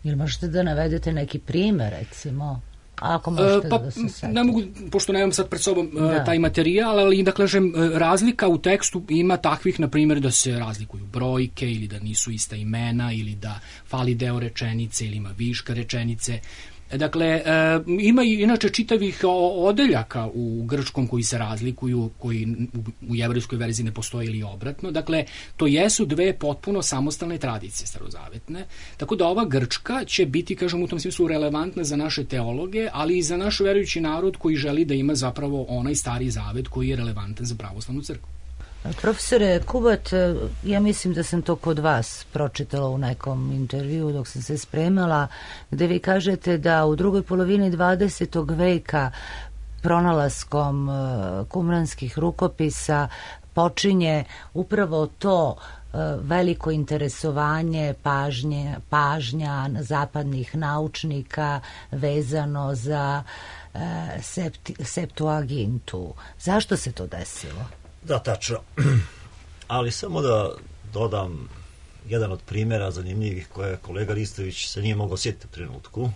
Jel možete da navedete neki primer, recimo? Ako možete pa, da se setite. Ne mogu, pošto nemam sad pred sobom da. taj materijal, ali da kažem, razlika u tekstu ima takvih, na primjer, da se razlikuju brojke ili da nisu ista imena ili da fali deo rečenice ili ima viška rečenice. Dakle, e, ima i inače čitavih odeljaka u grčkom koji se razlikuju, koji u, u jevrejskoj verziji ne postoje ili obratno. Dakle, to jesu dve potpuno samostalne tradicije starozavetne. Tako da ova grčka će biti, kažem, u tom smislu relevantna za naše teologe, ali i za naš verujući narod koji želi da ima zapravo onaj Stari Zavet koji je relevantan za pravoslavnu crkvu. Profesore Kubat, ja mislim da sam to kod vas pročitala u nekom intervju dok sam se spremala, gde vi kažete da u drugoj polovini dvadesetog veka pronalaskom kumranskih rukopisa počinje upravo to veliko interesovanje, pažnje, pažnja zapadnih naučnika vezano za septi, Septuagintu. Zašto se to desilo? Da, tačno. Ali samo da dodam jedan od primjera zanimljivih koje kolega Ristović se nije mogao sjetiti u trenutku.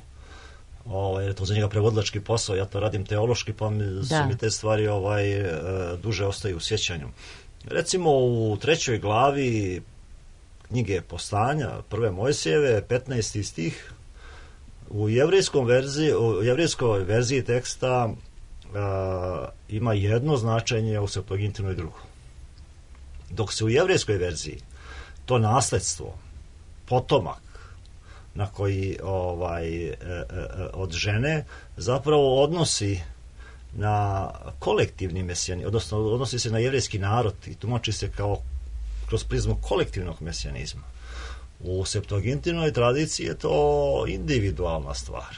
O, jer je to za njega prevodilački posao, ja to radim teološki, pa mi, su mi te stvari ovaj, duže ostaju u sjećanju. Recimo u trećoj glavi knjige Postanja, prve Mojsijeve, petnaesti stih, u jevrejskom verziji, u jevrejskoj verziji teksta Uh, ima jedno značenje, u Septuagintinoj drugo. Dok se u jevrejskoj verziji to nasledstvo, potomak na koji ovaj, e, e, od žene zapravo odnosi na kolektivni mesijanizam, odnosno odnosi se na jevrejski narod i tumači se kao kroz prizmu kolektivnog mesijanizma. U Septuagintinoj tradiciji je to individualna stvar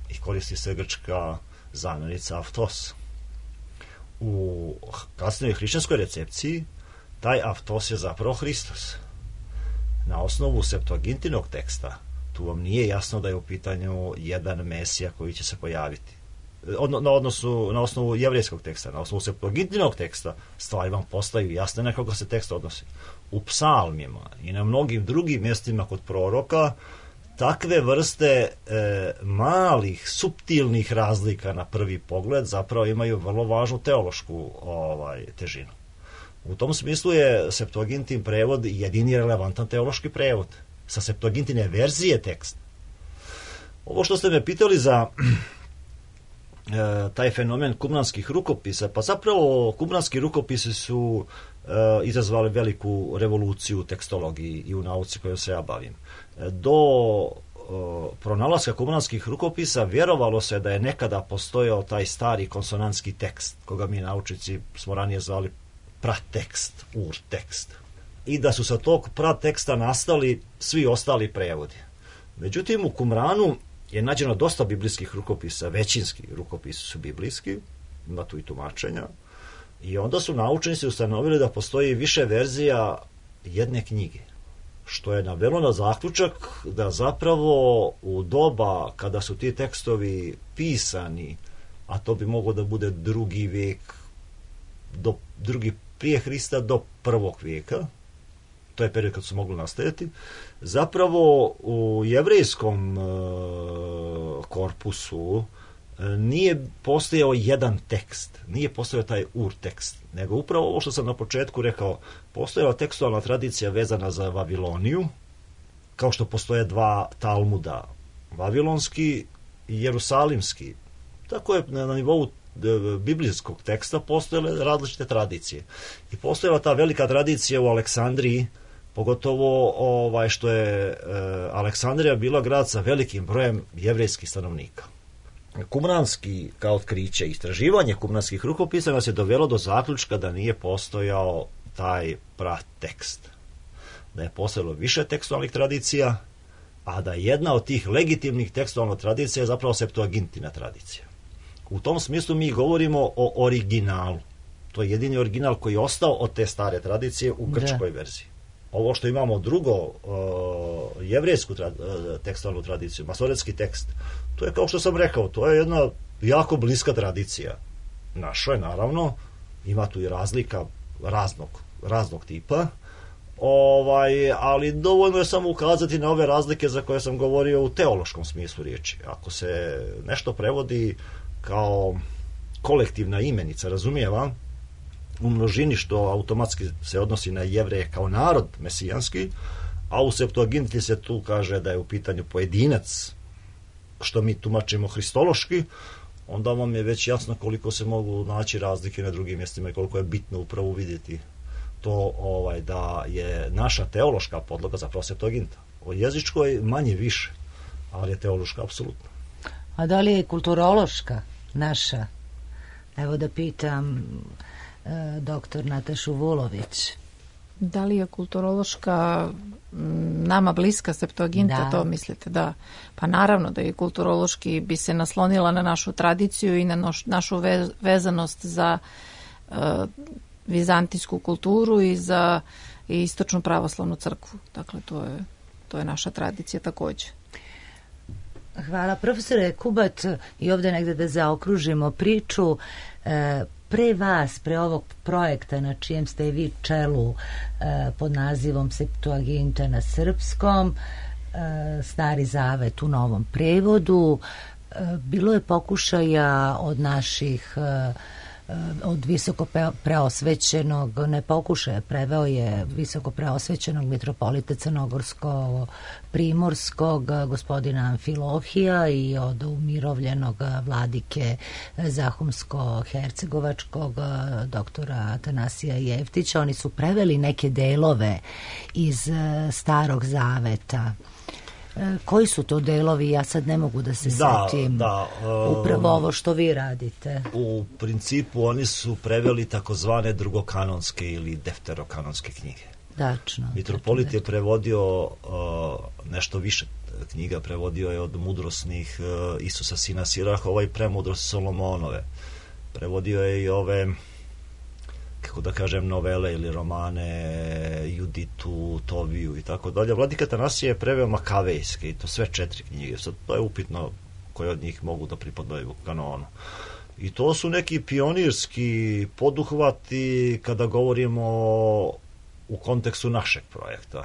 i koristi se grčka zamjenica aftos. U kasnijoj hrišćanskoj recepciji taj aftos je zapravo Hristos. Na osnovu Septuagintinog teksta tu vam nije jasno da je u pitanju jedan Mesija koji će se pojaviti. Odno, na, odnosu, na osnovu jevrejskog teksta, na osnovu Septuagintinog teksta stvari vam postaju jasne na koga se tekst odnosi. U psalmima i na mnogim drugim mjestima kod proroka takve vrste e, malih, suptilnih razlika na prvi pogled zapravo imaju vrlo važnu teološku ovaj, težinu. U tom smislu je Septuagintin prevod jedini relevantan teološki prevod. Sa Septuagintine verzije teksta. Ovo što ste me pitali za e, taj fenomen kumranskih rukopisa, pa zapravo kumranski rukopisi su e, izazvali veliku revoluciju u tekstologiji i u nauci kojom se ja bavim. Do o, pronalaska kumranskih rukopisa vjerovalo se da je nekada postojao taj stari konsonantski tekst, koga mi naučnici smo ranije zvali pratekst, urtekst. I da su sa tog prateksta nastali svi ostali prevodi. Međutim, u Kumranu je nađeno dosta biblijskih rukopisa, većinski rukopisi su biblijski, ima tu i tumačenja, i onda su naučnici ustanovili da postoji više verzija jedne knjige, što je navelo na zaključak da zapravo u doba kada su ti tekstovi pisani, a to bi moglo da bude drugi vijek, do, drugi prije Hrista do prvog vijeka, to je period kad su mogli nastajati, zapravo u jevrejskom e, korpusu e, nije postojao jedan tekst, nije postojao taj ur tekst, nego upravo ovo što sam na početku rekao, postojala tekstualna tradicija vezana za Vaviloniju, kao što postoje dva Talmuda, vavilonski i jerusalimski. Tako je na nivou biblijskog teksta postojale različite tradicije. I postojala ta velika tradicija u Aleksandriji, pogotovo ovaj, što je e, Aleksandrija bila grad sa velikim brojem jevrejskih stanovnika. Kumranski kao otkriće, istraživanje kumranskih rukopisa nas je dovelo do zaključka da nije postojao taj pratekst. Da je postojalo više tekstualnih tradicija, a da jedna od tih legitimnih tekstualnih tradicija je zapravo Septuagintina tradicija. U tom smislu mi govorimo o originalu. To je jedini original koji je ostao od te stare tradicije u grčkoj da. verziji. Ovo što imamo drugo, uh, jevrejsku tra, uh, tekstualnu tradiciju, masoretski tekst, to je kao što sam rekao, to je jedna jako bliska tradicija. Našoj, naravno, ima tu i razlika raznog, raznog tipa, ovaj, ali dovoljno je samo ukazati na ove razlike za koje sam govorio u teološkom smislu riječi. Ako se nešto prevodi kao kolektivna imenica, razumijeva, u množini, što automatski se odnosi na Jevreje kao narod mesijanski, a u Septuaginti se tu kaže da je u pitanju pojedinac, što mi tumačimo hristološki, onda vam je već jasno koliko se mogu naći razlike na drugim mjestima i koliko je bitno upravo vidjeti to ovaj, da je naša teološka podloga zapravo Septuaginta. O jezičkoj manje više, ali je teološka apsolutno. A da li je kulturološka naša? Evo da pitam e, doktor Natašu Vulović. Da li je kulturološka nama bliska Septuaginta, da. To mislite? Da. Pa naravno da je kulturološki bi se naslonila na našu tradiciju i na noš, našu ve, vezanost za uh, vizantijsku kulturu i za i istočnu pravoslavnu crkvu. Dakle, to je, to je naša tradicija također. Hvala. Profesore Kubat, i ovdje negdje da zaokružimo priču, e, pre vas, pre ovog projekta na čijem ste vi čelu e, pod nazivom Septuaginta na srpskom, e, Stari zavet u novom prevodu, e, bilo je pokušaja od naših e, od visoko preosvećenog, ne pokušaja, preveo je visoko preosvećenog mitropolita Crnogorsko Primorskog gospodina Amfilohija i od umirovljenog vladike Zahumsko-Hercegovačkog doktora Atanasija Jeftića. Oni su preveli neke delove iz Starog zaveta. Koji su to delovi? Ja sad ne mogu da se da, setim. Da, um, upravo ovo što vi radite. U principu oni su preveli takozvane drugokanonske ili defterokanonske knjige. Dačno. Mitropolit je prevodio uh, nešto više knjiga, prevodio je od mudrosnih uh, Isusa sina Sirahova i premudrosti Solomonove. Prevodio je i ove, kako da kažem, novele ili romane, Juditu, Toviju i tako dalje. Vladika Atanasije je preveo makavejske i to sve četiri knjige. Sad to je upitno koje od njih mogu da pripadaju kanonu. I to su neki pionirski poduhvati kada govorimo u kontekstu našeg projekta.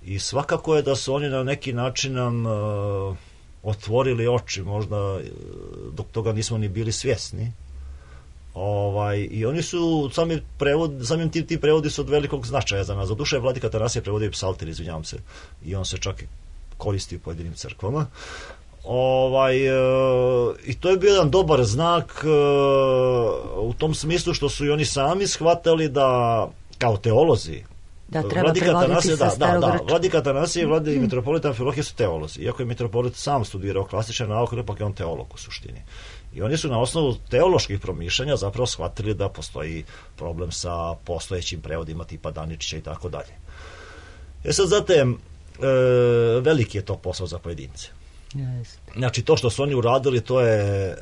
I svakako je da su oni na neki način nam uh, otvorili oči, možda dok toga nismo ni bili svjesni. Ovaj, i oni su sami prevod, samim tim ti prevodi su od velikog značaja za nas. Za duše Vladika Atanasije prevodio psalter, izvinjavam se, i on se čak koristi u pojedinim crkvama. Ovaj, e, i to je bio jedan dobar znak e, u tom smislu što su i oni sami shvatali da kao teolozi da treba prevoditi sa starogrčkog. Da, Vladika Atanasije i Vladika mitropolita Amfilohije su teolozi. Iako je mitropolit sam studirao klasične nauke, ipak je on teolog u suštini. I oni su na osnovu teoloških promišljanja zapravo shvatili da postoji problem sa postojećim prevodima tipa Daničića i tako dalje. E sad, zatem, e, veliki je to posao za pojedince. Yes. Znači, to što su oni uradili, to je e,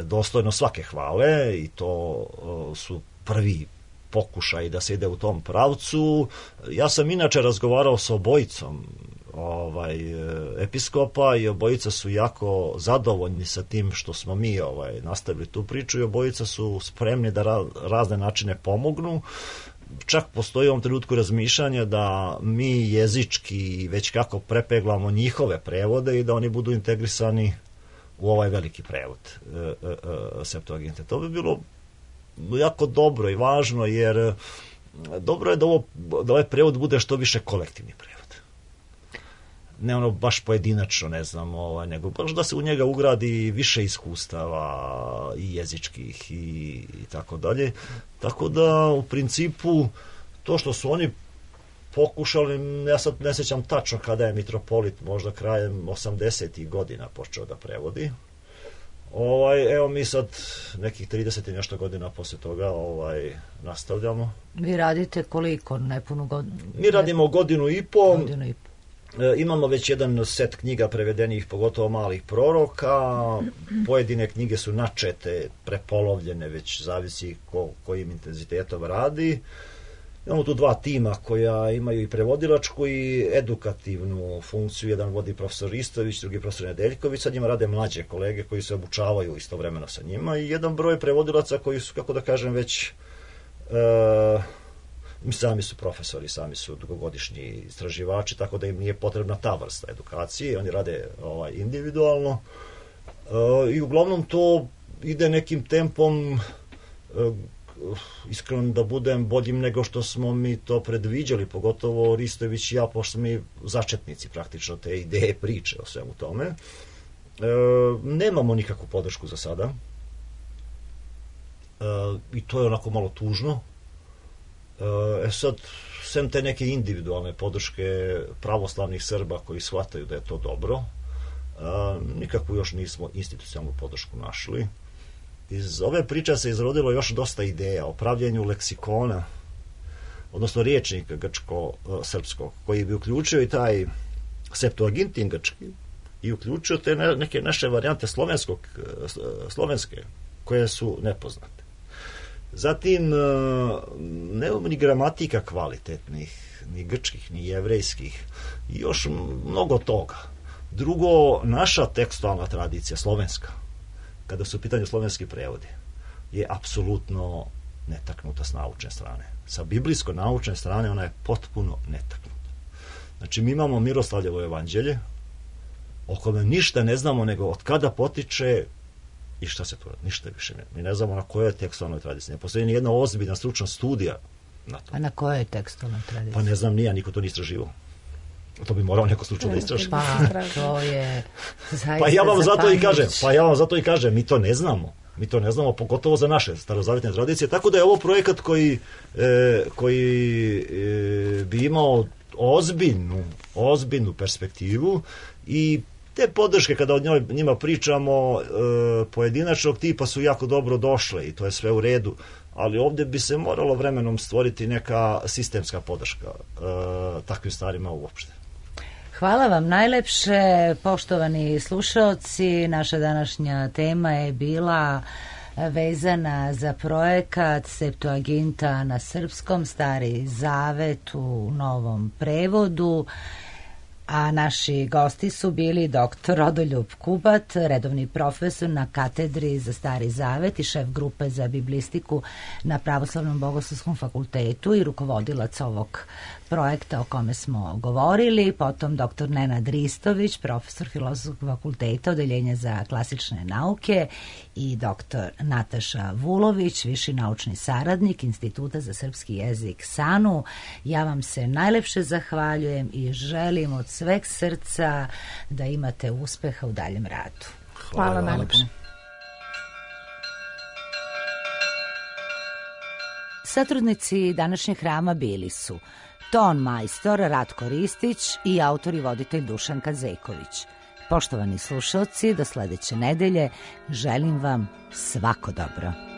dostojno svake hvale i to e, su prvi pokušaj da se ide u tom pravcu. Ja sam inače razgovarao sa obojicom ovaj, episkopa i obojica su jako zadovoljni sa tim što smo mi ovaj, nastavili tu priču i obojica su spremni da ra, razne načine pomognu. Čak postoji u ovom trenutku razmišljanje da mi jezički već kako prepeglamo njihove prevode i da oni budu integrisani u ovaj veliki prevod e, e, e, Septuaginte. To bi bilo jako dobro i važno, jer dobro je da, ovo, da ovaj prevod bude što više kolektivni prevod. Ne ono baš pojedinačno, ne znam, ovaj, nego baš da se u njega ugradi više iskustava i jezičkih i, i tako dalje. Tako da, u principu, to što su oni pokušali, ja sad ne sjećam tačno kada je mitropolit, možda krajem osamdesetih godina počeo da prevodi. Ovaj, evo mi sad nekih trideset i nešto godina posle toga ovaj, nastavljamo. Vi radite koliko? Nepunu godinu? Mi radimo godinu i po. Godinu i po. E, imamo već jedan set knjiga prevedenih, pogotovo malih proroka. Pojedine knjige su načete, prepolovljene, već zavisi ko, kojim intenzitetom radi. Imamo tu dva tima koja imaju i prevodilačku i edukativnu funkciju. Jedan vodi profesor Ristović, drugi profesor Nedeljković. Sad njima rade mlađe kolege koji se obučavaju istovremeno sa njima. I jedan broj prevodilaca koji su, kako da kažem, već... E, sami su profesori, sami su dugogodišnji istraživači, tako da im nije potrebna ta vrsta edukacije. Oni rade ovaj, individualno. E, I uglavnom to ide nekim tempom... E, iskreno da budem boljim nego što smo mi to predviđali, pogotovo Ristović i ja, pošto smo mi začetnici praktično te ideje, priče o svemu tome. E, nemamo nikakvu podršku za sada. E, I to je onako malo tužno. E sad, sem te neke individualne podrške pravoslavnih Srba koji shvataju da je to dobro, e, nikakvu još nismo institucionalnu podršku našli. Iz ove priče se izrodilo još dosta ideja o pravljenju leksikona, odnosno riječnika grčko-srpskog, koji bi uključio i taj Septuagintin grčki i uključio te neke naše varijante slovenskog, slovenske, koje su nepoznate. Zatim, nemamo ni gramatika kvalitetnih, ni grčkih, ni jevrejskih, i još mnogo toga. Drugo, naša tekstualna tradicija, slovenska, kada su u pitanju slovenski prevodi, je apsolutno netaknuta s naučne strane. Sa biblijsko-naučne strane ona je potpuno netaknuta. Znači, mi imamo Miroslavljevo evanđelje, o kome ništa ne znamo nego od kada potiče i šta se tu radi. Ništa više ne. Mi ne znamo na kojoj tekstualnoj tradiciji. Ne postoji ni jedna ozbiljna stručna studija na to. A na kojoj tekstualnoj tradiciji? Pa ne znam, nija, niko to nije istraživao. To bi morao neko slučajno da istraži. Pa to je zaista pa ja vam zato i kažem, zapanjujuće. pa ja vam zato i kažem, mi to ne znamo. Mi to ne znamo, pogotovo za naše starozavjetne tradicije, tako da je ovo projekat koji, e, koji e, bi imao ozbiljnu, ozbiljnu perspektivu i te podrške kada o njoj, njima pričamo e, pojedinačnog tipa su jako dobro došle i to je sve u redu, ali ovdje bi se moralo vremenom stvoriti neka sistemska podrška e, takvim stvarima uopšte. Hvala vam najlepše, poštovani slušaoci. Naša današnja tema je bila vezana za projekat Septuaginta na srpskom, Stari Zavet u novom prevodu. A naši gosti su bili doktor Rodoljub Kubat, redovni profesor na katedri za Stari Zavet i šef grupe za biblistiku na Pravoslavnom bogoslovskom fakultetu i rukovodilac ovog projekta o kome smo govorili, potom doktor Nenad Ristović, profesor Filozofskog fakulteta, odeljenja za klasične nauke, i doktor Nataša Vulović, viši naučni saradnik Instituta za srpski jezik SANU. Ja vam se najlepše zahvaljujem i želim od sveg srca da imate uspeha u daljem radu. Hvala, Hvala najlepše. Satrudnici današnjeg hrama bili su ton majstor Ratko Ristić i autor i voditelj Dušan Kazejković. Poštovani slušalci, do sledeće nedelje želim vam svako dobro.